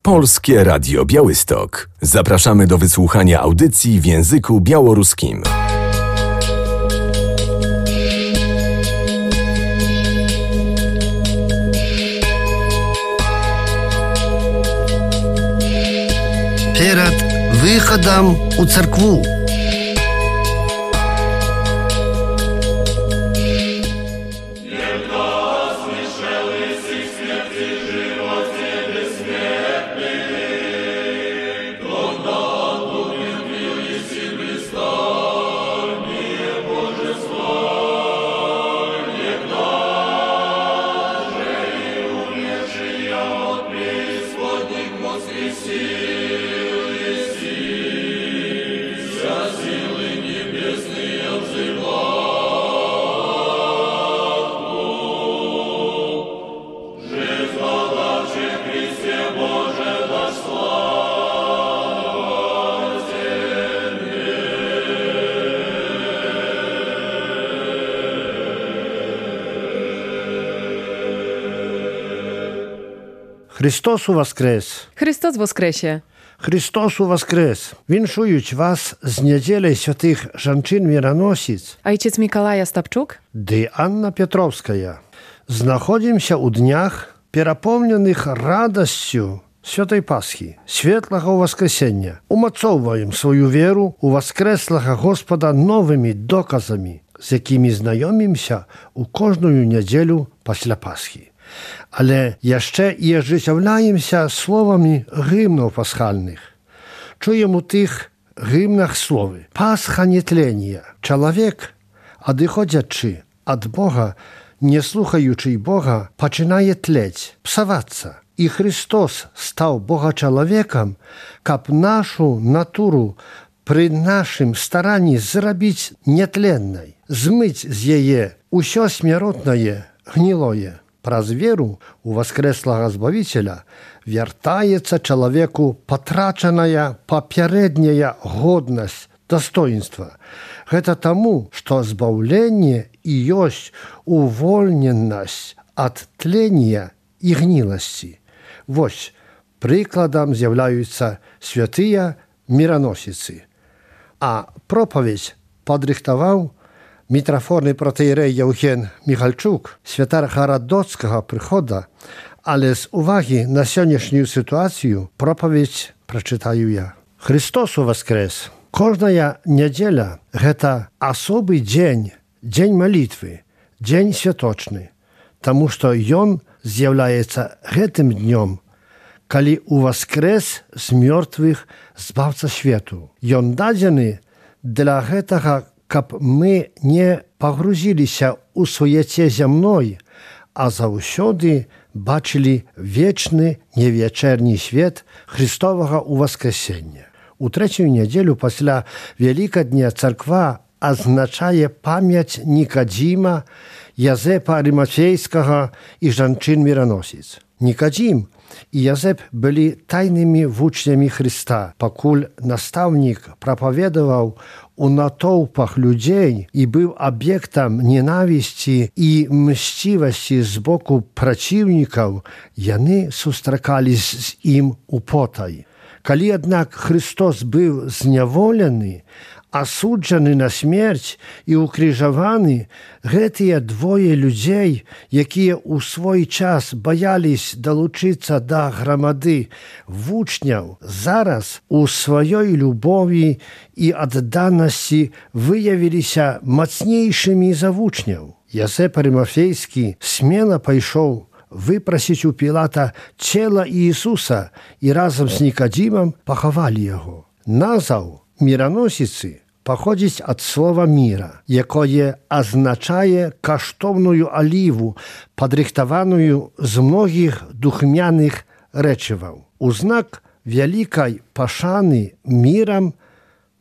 Polskie Radio Białystok. Zapraszamy do wysłuchania audycji w języku białoruskim. Перед выходом у церкву. Христос воскрес! Христос воскресе! Христос воскрес! Віншують вас з неділею святих жанчин-мироносиць Ojciec Mikołaj Stapczuk ды Анна Петровская. Знаходзімся ў днях, перапоўненых радасцю Святой Пасхі, светлага Воскресення. Умацоўваем сваю веру ў воскреслага Господа новымі доказамі, з якімі знаёмімся ў кожную нядзелю пасля Пасхі. Але яшчэ і ажыццяўляемся словамі гімнаў пасхальных. Чуем у тых гімнах словы «Пасха нетлення». Чалавек, адыходзячы ад Бога, не слухаючы Бога, пачынае тлець, псавацца. І Христос стаў Бога-чалавекам, каб нашу натуру пры нашым старанні зрабіць нетленнай, змыць з яе ўсё смяротнае, гнілое. Праз веру у воскреслага Збавіцеля вяртаецца чалавеку патрачаная папярэдняя годнасць, дастоінства. Гэта таму, што збаўленне і ёсць увольненасць ад тлення і гніласці. Вось прыкладам з'яўляюцца святыя мироносицы. А пропаведь падрыхтаваў мітрафорны протеєрей Євген Міхальчук, святар Гарадоцькага прыхода, але з увагі на сённяшнюю ситуацію проповедь прочитаю я. Христос воскрес! Кожная нядзеля – гэта асобы дзень, дзень малітвы, дзень святочны, таму што ён з'яўляецца гэтым днём, калі уваскрэс з мёртвых збаўца свету. Ён дадзены для гэтага, каб мы не пагрузіліся ў суеце зямной, а заўсёды бачылі вечны невячэрні свет Христовага ўваскрэсення. У трэцюю нядзелю пасля Вялікадня царква азначае памяць Нікадзіма, Язэпа Арымафейскага і жанчын-мироносіц. Нікадзім і Язэп былі тайнымі вучнямі Христа, пакуль настаўнік прапаведаваў у натоўпах людзей і быў аб'ектам ненавісці і мсцівасці з боку праціўнікаў, яны сустракались з ім употай. Калі, аднак, Христос быў зняволены, асуджаны на смерць і укрыжаваны, гэтыя двое людзей, якія ў свой час баялись далучыцца да грамады вучняў, зараз у сваёй любові і адданасці выявіліся мацнейшымі за вучняў. Язэп Арымафейскі смела пайшоў выпрасіць у Пілата цела Іісуса і разам з Нікадзімам пахавалі яго. Назваў мироносіцы паходзіць ад слова міра, якое азначае каштоўную аліву, падрыхтаваную з многіх духмяных рэчываў. У знак вялікай пашаны мірам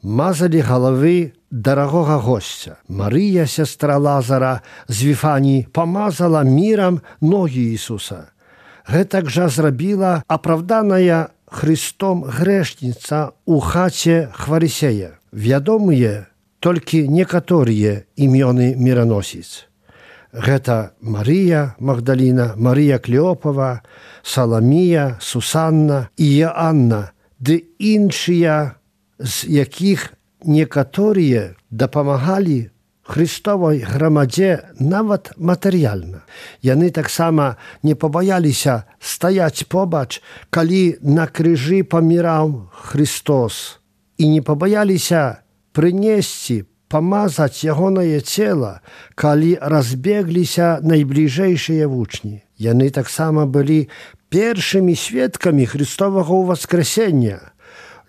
мазалі галавы дарагога госця. Марыя, сястра Лазара з Віфаніі, памазала мірам ногі Ісуса. Гэтак жа зрабіла апраўданая Христом грэшніца ў хаце Хварысея. Вядомыя толькі некаторыя імёны мироносіц. Гэта Марія Магдаліна, Марія Клеопава, Саламія, Сусанна і Іанна, ды іншыя, з якіх некаторыя дапамагалі Христовай грамадзе нават матэрыяльна. Яны таксама не пабаяліся стаяць побач, калі на крыжы паміраў Христос, і не пабаяліся прынесці, памазаць ягонае цела, калі разбегліся найбліжэйшыя вучні. Яны таксама былі першымі сведкамі Христовага ўваскрэсення.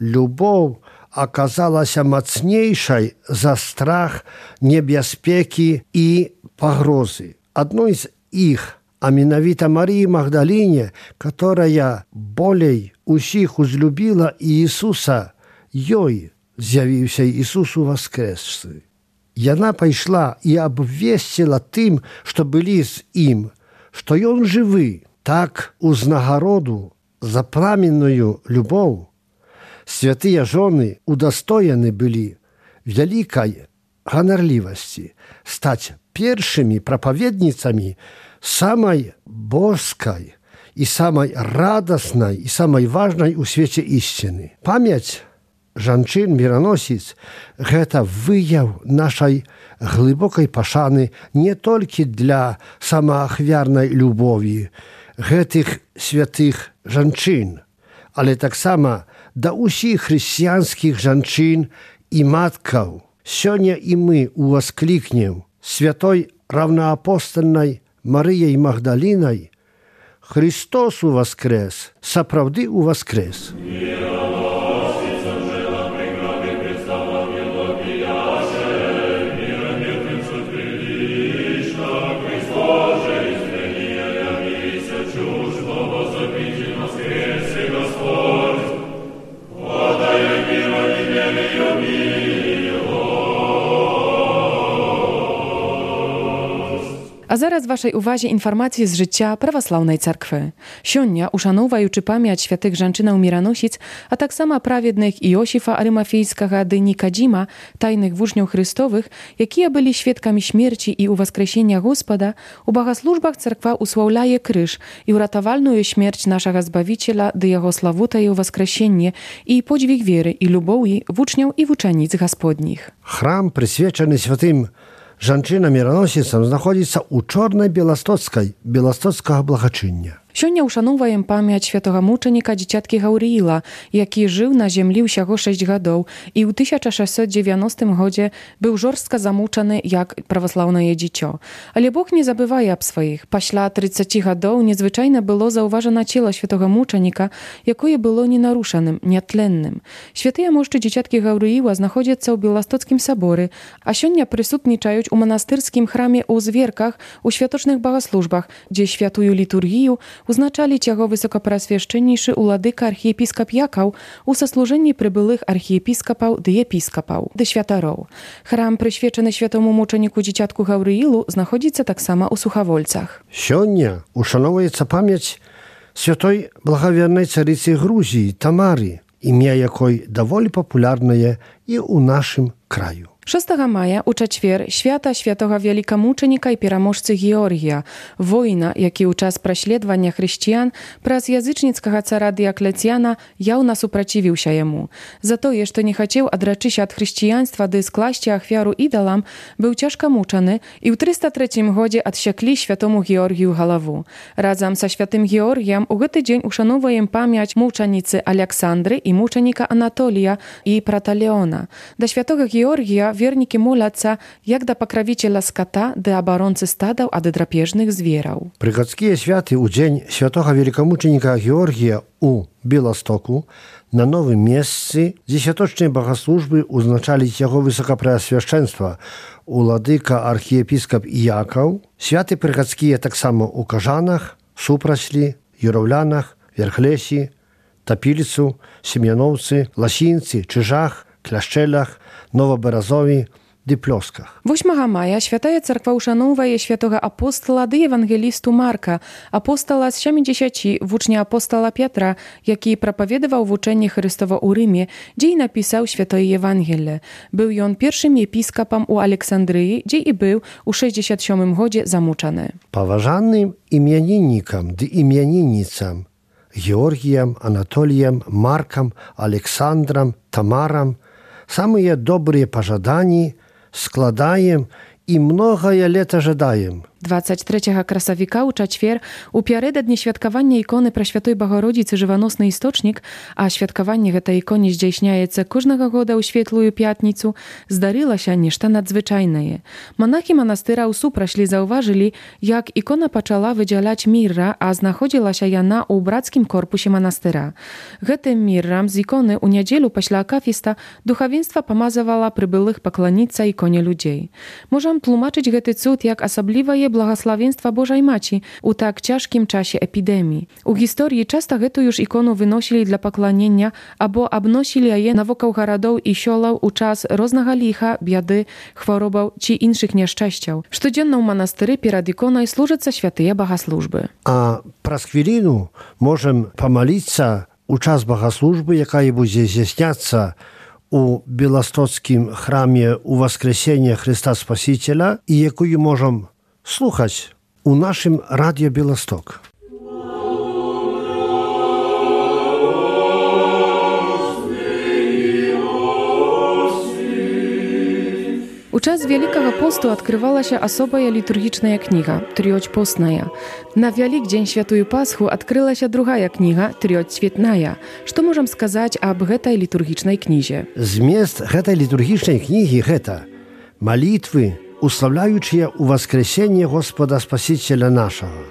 Любоў аказалася мацнейшай за страх, небяспекі і пагрозы. Адной з іх, а менавіта Марії Магдаліне, которая болей усіх узлюбіла Іісуса, ёй з'явіўся Ісус уваскрэсшы. Яна пайшла і абвесціла тым, што былі з ім, што ён жывы. Так узнагароду за пламенную любоў святыя жоны удастоены былі вялікай ганарлівасці стаць першымі прапаведніцамі самай боскай і самай радаснай і самай важнай у свеце ісціны. Памяць жанчын-міраносіц – гэта выяў нашай глыбокай пашаны не толькі для самаахвярнай любові гэтых святых жанчын, але таксама да ўсіх хрысціянскіх жанчын і маткаў. Сёння і мы ўвасклікнем святой раўнаапостальнай Марыяй Магдалінай: Христос уваскрэс, сапраўды уваскрэс. А зараз вашай увазе інфармацыі з жыцця праваслаўнай царквы. Сёння, ушаноўваючы памяць святых жанчынаў-міраносіц, а таксама праведных Іосіфа Арымафейскага ды Нікадзіма, тайных вучняў Христовых, якія былі сведкамі смерці і ўваскрэсення Господа, у багаслужбах царква услаўляе крыж і ўратавальную смерць нашага Збавіцеля ды яго славутае ўваскрэсенне і подзвіг веры і любоўі вучняў і вучаніц Гасподніх. Храм, прысвечаны святым жанчынам-міраносіцам, знаходзіцца ў чорнай беластоцкага благачыння. Сёння ушаноўваем памяць святога мучаніка дзіцяткі Гаўрыіла, які жыў на зямлі ўсяго 6 гадоў і ў 1690 годзе быў жорстка замучаны як праваслаўнае дзіцё. Але Бог не забывае аб сваіх. Пасля 30 гадоў незвычайна было заўважана цела святога мучаніка, якое было ненарушаным, нятленным. Святыя мошчы дзіцяткі Гаўрыіла знаходзяцца ў Беластоцкім саборы, а сёння прысутнічаюць у манастырскім храме ў Зверках, у святочных багаслужбах, дзе святую літургію узначаліць яго высокапрасвяшчэннейшы уладыка архіепіскап Якаў у саслужэнні прыбылых архіепіскапаў ды епіскапаў ды святароў. Храм, прысвечаны святому мучаніку дзіцятку Гаўрыілу, знаходзіцца таксама ў Сухавольцах. Сёння ушаноўваецца памяць святой благавернай царыцы Грузіі Тамары, імя якой даволі папулярнае і ў нашым краю. 6 мая у чацвер свята святога вялікамучаніка і пераможцы Георгія, воіна, які ў час праследавання хрысціян праз язычніцкага цара Дыяклецьяна яўна супрацівіўся яму. За тое, што не хацеў адрачыся ад хрысціянства ды скласці ахвяру ідалам, быў цяжка мучаны і ў 303 годзе адсяклі святому Георгію галаву. Разам са святым Георгіем у гэты дзень ушаноўваем памяць мучаніцы Аляксандры і мучаніка Анатолія і Праталеона. Да святога Георгія вернікі моляцца як да пакравіцеля ската ды абаронцы стадаў ад драпежных звераў. Прыхадскія святы ў дзень святога велікамучаніка Георгія у Беластоку на новым месцы дзесяточнай багаслужбы узначаліць яго высокапрэасвяшчэнства уладыка архіепіскап Якаў. Святы прыхадскія таксама ў Кажанах, Супраслі, Юраўлянах, Верхлесі, Тапіліцу, Сем'яноўцы, Ласінцы, Чыжах, Кляшчэлях, Новабаразові dy ploskach. 8 maja Święta Cerkwa uszanowaje świętego apostola dy ewangelistu Marka, apostola z 70 włócznia apostola Piotra, jaki propowiedział w uczenie Chrystowo u Rzymie, gdzie i napisał święte Ewangelie. Był on pierwszym episkopem u Aleksandryi, gdzie i był u 67 godzie zamuczany. Poważanym imiennikom dy imiennicam Georgijem, Anatolijem, Markiem, Aleksandrem, Tamaram самые добрые пожадания складаем и многое лет ожидаем. 23 красавіка у чацвер у пярыдад дня святкавання іконы Прасвятой Багародзіцы жываносны істочнік, а святкаванне гэтай іконы здзяйсняецца кожнага года ў светлую пятніцу, здарылася нешта надзвычайнае. Монахі манастыра ў супрашлі заўважылі, як ікона пачала выдзяляць мірра, а знаходзілася яна ў брацкім корпусе манастыра. Гэтым міррам з іконы ў нядзелю пасля акафіста духавенства памазавала прыбылых пакланіцца іконе людзей. Можам тлумачыць гэты цуд як асаблівае благословенства Божej Maci u tak ciężkim czasie epidemii. U historii często гэту już ikonu wynosili dla poklonienia albo obnosili je na wokół garadów i siolał u czas różnego licha, biedy, chworobów czy innych nieszczęściał. Codziennie u monastyry przed ikoną służyться święte bogosłużby. A praskvirinu możemy pomolić u czas bogosłużby, jaka będzie zdjęśniаться u Białostockim chramie u Воскресения Chrysta Spasiciela i jaką możemy słuchać u naszym Radio Białystok. U czas Wielkiego Postu odkrywała się osoba liturgiczna kniga, Trioć Postnaja. Na Wielki Świętую Paschu odkryła się druga kniga, Trioć Świetnaja. Co możemy сказать об этой liturgicznej knizie? Zamiast tej liturgicznej kniги это молитвы, уславляючие у воскресения Господа Спасителя нашего,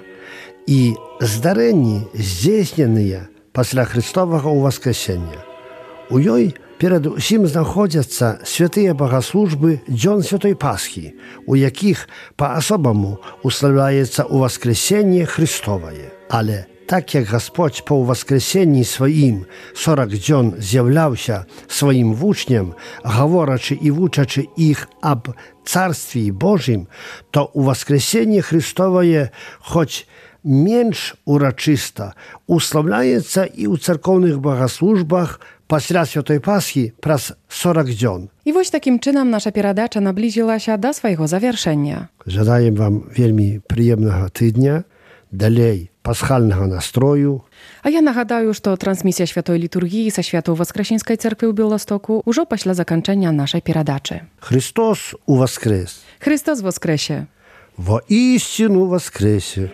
и здарения, здійсненные после Христового воскресения. У ёй перед усім знаходяться святые богослужбы Дзён Святой Пасхи, у яких по-особому уславляется у воскресение Христовое. Але так як Господь по воскресенні своїм 40 дзьон з'являвся своїм вучням, говорячи і вучачи їх об Царстві Божім, то у воскресенні Христовое, хоч менш урочисто, уславляється і у церковних богослужбах після Святої Пасхи праз 40 дзьон. I właśnie takim czynem nasza передача наблизила się do swojego zawieszenia. Żaдаем вам вельмі приємного тижня, dalej paschalnego nastroju. A ja nagadaję, że transmisja Świętej Liturgii ze Świętej Воскресенской Cerkwi w Białostoku już po zakończenia naszej передачи. Chrystus uwoskres. Chrystus woskresie. Woistину воскресе.